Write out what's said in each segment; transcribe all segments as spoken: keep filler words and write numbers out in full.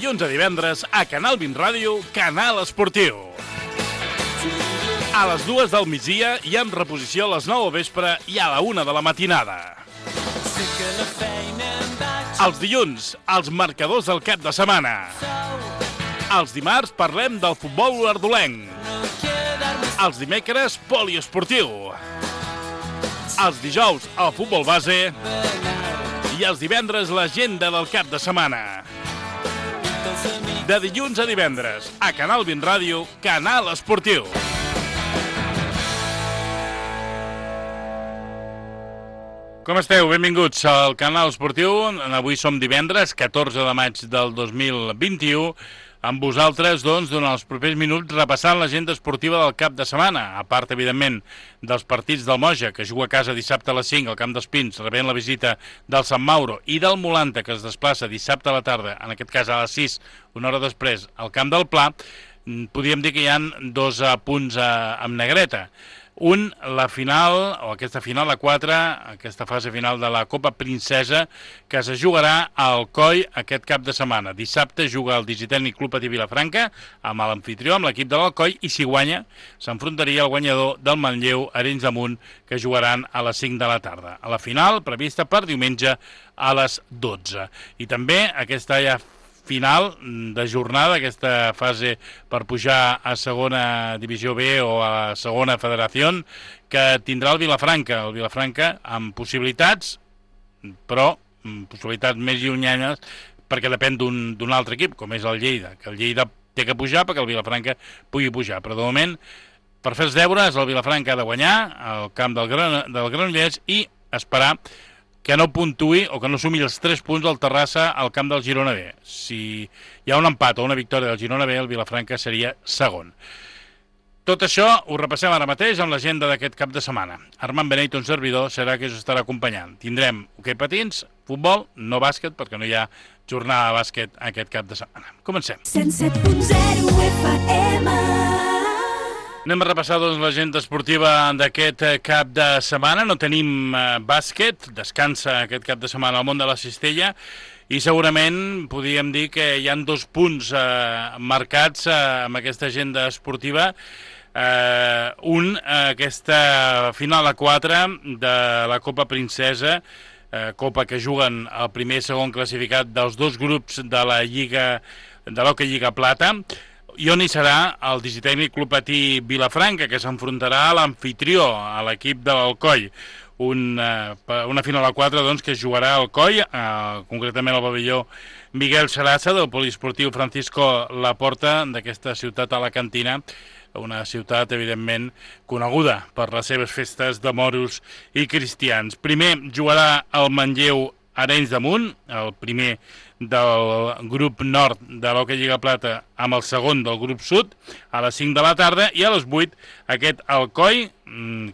dilluns a divendres a Canal vint Ràdio, Canal Esportiu. A les dues del migdia i amb reposició a les nou al vespre i a la una de la matinada. Els dilluns, els marcadors del cap de setmana. Els dimarts parlem del futbol ardolenc. Els dimecres, poliesportiu. Els dijous, el futbol base. I els divendres, l'agenda del cap de setmana. De dilluns a divendres, a Canal vint Ràdio, Canal Esportiu. Com esteu? Benvinguts al Canal Esportiu. Avui som divendres, catorze de maig del dos mil vint-i-u. Amb vosaltres, doncs, durant els propers minuts repassant l'agenda esportiva del cap de setmana, a part, evidentment, dels partits del Moja, que juga a casa dissabte a les cinc al Camp dels Pins, rebent la visita del Sant Mauro, i del Molanta, que es desplaça dissabte a la tarda, en aquest cas a les sis, una hora després, al Camp del Pla. Podríem dir que hi ha dos punts amb negreta. Un, la final, o aquesta final a quatre, aquesta fase final de la Copa Princesa, que se jugarà al Coi aquest cap de setmana. Dissabte juga el Digitècnic Club Patí Vilafranca, amb l'anfitrió, amb l'equip de l'Alcoi, i si guanya, s'enfrontaria el guanyador del Manlleu, Arenys de Munt, que jugaran a les cinc de la tarda. A la final, prevista per diumenge a les dotze. I també aquesta ja final de jornada, aquesta fase per pujar a segona divisió B o a segona federació, que tindrà el Vilafranca. El Vilafranca amb possibilitats, però possibilitats més llunyanes, perquè depèn d'un altre equip, com és el Lleida, que el Lleida té que pujar perquè el Vilafranca pugui pujar. Però de moment, per fer els deures, el Vilafranca ha de guanyar al camp del, Gran, del Granollers i esperar que no puntui o que no sumi els tres punts del Terrassa al camp del Girona B. Si hi ha un empat o una victòria del Girona B, el Vilafranca seria segon. Tot això ho repassem ara mateix amb l'agenda d'aquest cap de setmana. Armand Beneit, un servidor, serà que us estarà acompanyant. Tindrem hoquei patins, futbol, no bàsquet, perquè no hi ha jornada de bàsquet aquest cap de setmana. Comencem. cent set punt zero F M. Anem a repassar doncs, l'agenda esportiva d'aquest cap de setmana. No tenim eh, bàsquet, descansa aquest cap de setmana al món de la cistella i segurament podríem dir que hi han dos punts eh, marcats eh, amb aquesta agenda esportiva. Eh, un, eh, aquesta final a quatre de la Copa Princesa, eh, Copa que juguen el primer i segon classificat dels dos grups de la Lliga, de l'Hockey Lliga Plata, i on hi serà el Digitècnic Club Patí Vilafranca, que s'enfrontarà a l'anfitrió, a l'equip de l'Alcoi. Un, eh, una final a quatre doncs, que jugarà al Coi, eh, concretament al pavelló Miguel Sarasa del poliesportiu Francisco Laporta d'aquesta ciutat alacantina, una ciutat, evidentment, coneguda per les seves festes de moros i cristians. Primer jugarà el Manlleu Arenys de Munt, el primer del grup nord de l'Hockey Lliga Plata amb el segon del grup sud, a les cinc de la tarda, i a les vuit aquest Alcoi,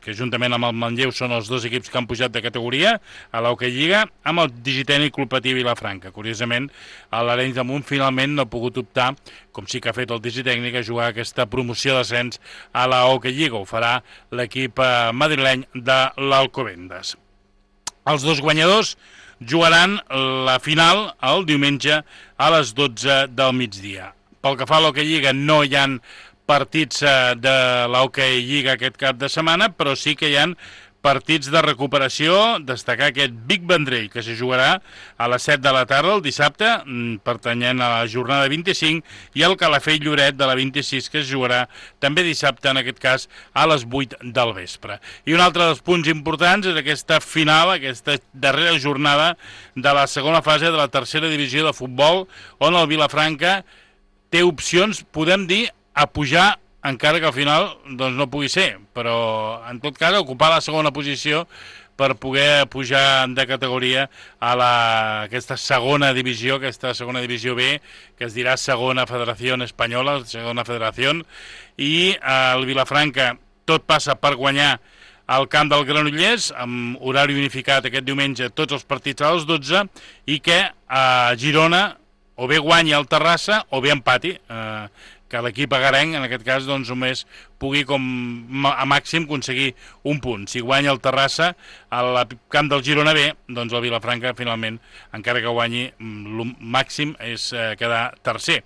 que juntament amb el Manlleu són els dos equips que han pujat de categoria a l'Hockey Lliga, amb el Digitècnic Club Patí Vilafranca. Curiosament, l'Arenys de Munt finalment no ha pogut optar, com sí que ha fet el Digitècnic, a jugar aquesta promoció d'ascens a la Hockey Lliga. Ho farà l'equip madrileny de l'Alcobendas. Els dos guanyadors jugaran la final el diumenge a les dotze del migdia. Pel que fa a l'Hockey Lliga, no hi ha partits de l'Hockey Lliga aquest cap de setmana, però sí que hi ha partits de recuperació. Destacar aquest Vic Vendrell, que se jugarà a les set de la tarda el dissabte, pertanyent a la jornada vint-i-cinc, i el Calafell Lloret de la vint-i-sis, que es jugarà també dissabte, en aquest cas, a les vuit del vespre. I un altre dels punts importants és aquesta final, aquesta darrera jornada de la segona fase de la tercera divisió de futbol, on el Vilafranca té opcions, podem dir, a pujar, encara que al final doncs, no pugui ser, però en tot cas ocupar la segona posició per poder pujar de categoria a la, aquesta segona divisió, aquesta segona divisió B, que es dirà segona federació espanyola, segona federació, i eh, el Vilafranca tot passa per guanyar al camp del Granollers, amb horari unificat aquest diumenge, tots els partits a les dotze, i que a Girona o bé guanya el Terrassa o bé empati, eh, que l'equip agarenc, en aquest cas, doncs, només pugui com a màxim aconseguir un punt. Si guanya el Terrassa al camp del Girona B, doncs el Vilafranca finalment, encara que guanyi, el màxim és eh, quedar tercer.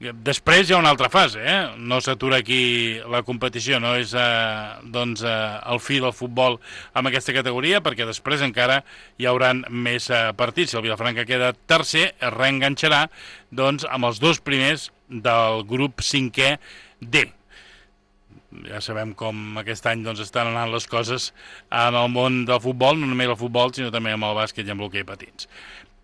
Després hi ha una altra fase, eh? No s'atura aquí la competició, no és eh, doncs, eh, el fi del futbol amb aquesta categoria, perquè després encara hi hauran més eh, partits. Si el Vilafranca queda tercer, es reenganxarà doncs, amb els dos primers del grup cinquè D. Ja sabem com aquest any doncs, estan anant les coses en el món del futbol, no només el futbol, sinó també amb el bàsquet i amb l'hoquei patins.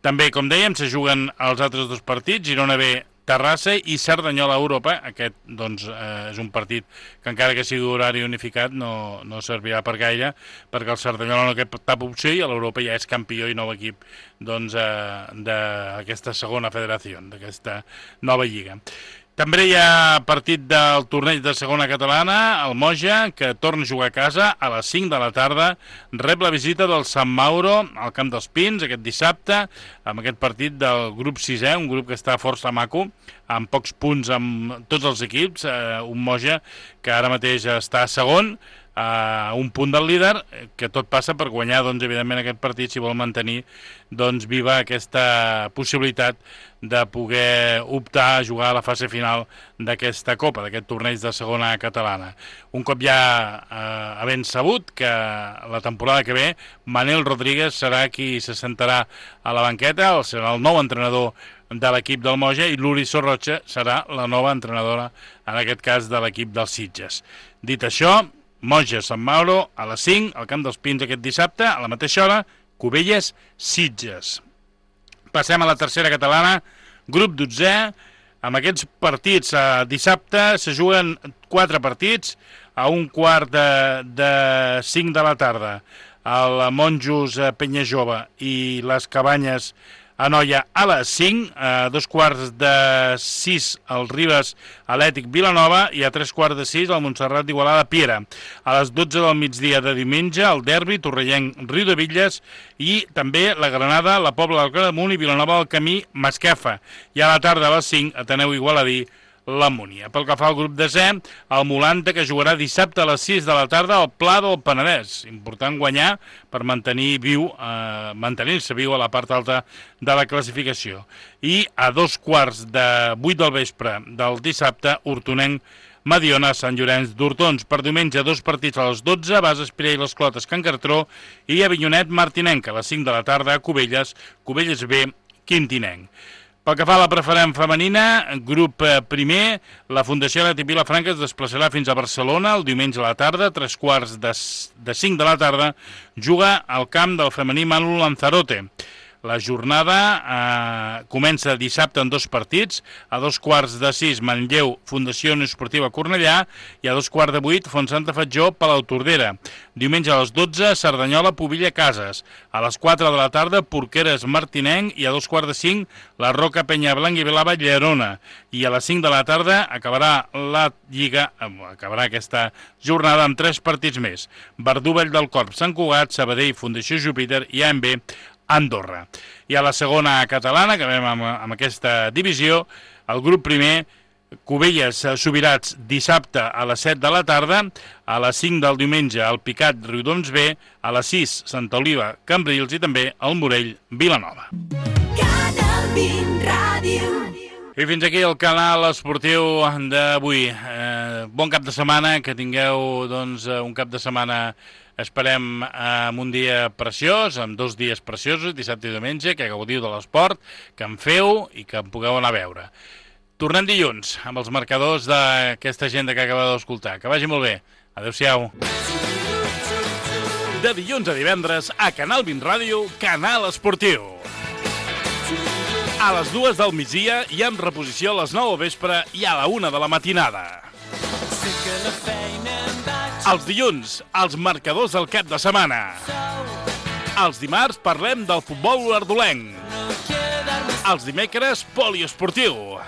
També, com dèiem, se juguen els altres dos partits, Girona B, Terrassa i Cerdanyola Europa. Aquest doncs, eh, és un partit que encara que sigui horari unificat no, no servirà per gaire, perquè el Cerdanyola no té cap opció i l'Europa ja és campió i nou equip doncs, eh, d'aquesta segona federació, d'aquesta nova lliga. També hi ha partit del torneig de segona catalana, el Moja, que torna a jugar a casa a les cinc de la tarda, rep la visita del Sant Mauro al Camp dels Pins aquest dissabte, amb aquest partit del grup sisè, un grup que està força maco, amb pocs punts amb tots els equips, eh, un Moja que ara mateix està segon, a un punt del líder, que tot passa per guanyar, doncs, evidentment, aquest partit si vol mantenir doncs, viva aquesta possibilitat de poder optar a jugar a la fase final d'aquesta Copa, d'aquest torneig de segona catalana. Un cop ja eh, havent sabut que la temporada que ve Manel Rodríguez serà qui se sentarà a la banqueta, serà el nou entrenador de l'equip del Moja, i l'Uri Sorrocha serà la nova entrenadora, en aquest cas, de l'equip dels Sitges. Dit això, Moja, Sant Mauro, a les cinc, al Camp dels Pins aquest dissabte, a la mateixa hora, Cubelles, Sitges. Passem a la tercera catalana, grup dotzè, amb aquests partits eh, dissabte se juguen quatre partits a un quart de, de cinc de la tarda. El Monjos eh, Penya Jove i les Cabanyes Anoia a les cinc, a dos quarts de sis el Ribes Atlètic Vilanova i a tres quarts de sis el Montserrat d'Igualada Piera. A les dotze del migdia de diumenge el derbi Torrellenc Riudebitlles i també la Granada, la Pobla del Claramunt i Vilanova del Camí Masquefa. I a la tarda a les cinc Ateneu Igualadí la Múnia. Pel que fa al grup desè, el Molanta, que jugarà dissabte a les sis de la tarda al Pla del Penedès. Important guanyar per mantenir viu, eh, mantenir-se viu a la part alta de la classificació. I a dos quarts de vuit del vespre del dissabte, Hortonenc Mediona, Sant Llorenç d'Hortons. Per diumenge, dos partits a les dotze, Bas Espirà i les Clotes, Can Cartró, i Avinyonet Martinenc, a les cinc de la tarda, Cubelles, Cubelles B, Quintinenc. Pel que fa a la preferent femenina, grup primer, la Fundació Atlètic Vilafranca es desplaçarà fins a Barcelona el diumenge a la tarda, tres quarts de, de cinc de la tarda, juga al camp del femení Manu Lanzarote. La jornada eh, comença dissabte en dos partits, a dos quarts de sis Manlleu, Fundació Unió Esportiva Cornellà, i a dos quarts de vuit Fontsanta Fatjó, Palau Tordera. Diumenge a les dotze, Cerdanyola, Pobilla, Cases. A les quatre de la tarda, Porqueres, Martinenc, i a dos quarts de cinc, la Roca, Penyablanc i Vilava, Llerona. I a les cinc de la tarda acabarà la Lliga, acabarà aquesta jornada amb tres partits més. Verdú, Vall del Corp, Sant Cugat, Sabadell, Fundació Júpiter i A M B, Andorra. I a la segona catalana, que veiem amb, amb aquesta divisió, el grup primer, Cubelles Subirats dissabte a les set de la tarda, a les cinc del diumenge el Picat Riudoms B, a les sis Santa Oliva Cambrils i també el Morell Vilanova. Canal vint Ràdio. I fins aquí el canal esportiu d'avui. Eh, bon cap de setmana, que tingueu doncs, un cap de setmana, esperem, amb un dia preciós, amb dos dies preciosos, dissabte i diumenge, que gaudiu de l'esport, que en feu i que en pugueu anar a veure. Tornem dilluns amb els marcadors d'aquesta gent que acabeu d'escoltar. Que vagi molt bé. Adéu-siau. De dilluns a divendres, a Canal vint Ràdio, Canal Esportiu. A les dues del migdia i amb reposició a les nou del vespre i a la una de la matinada. Els dilluns, els marcadors del cap de setmana. Els dimarts parlem del futbol ardolenc. Els dimecres, poliesportiu.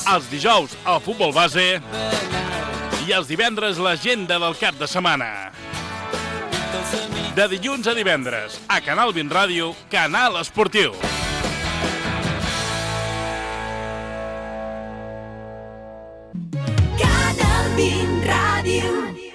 Els dijous, el futbol base. I els divendres, l'agenda del cap de setmana. De dilluns a divendres, a Canal vint Ràdio, Canal Esportiu. Ràdio.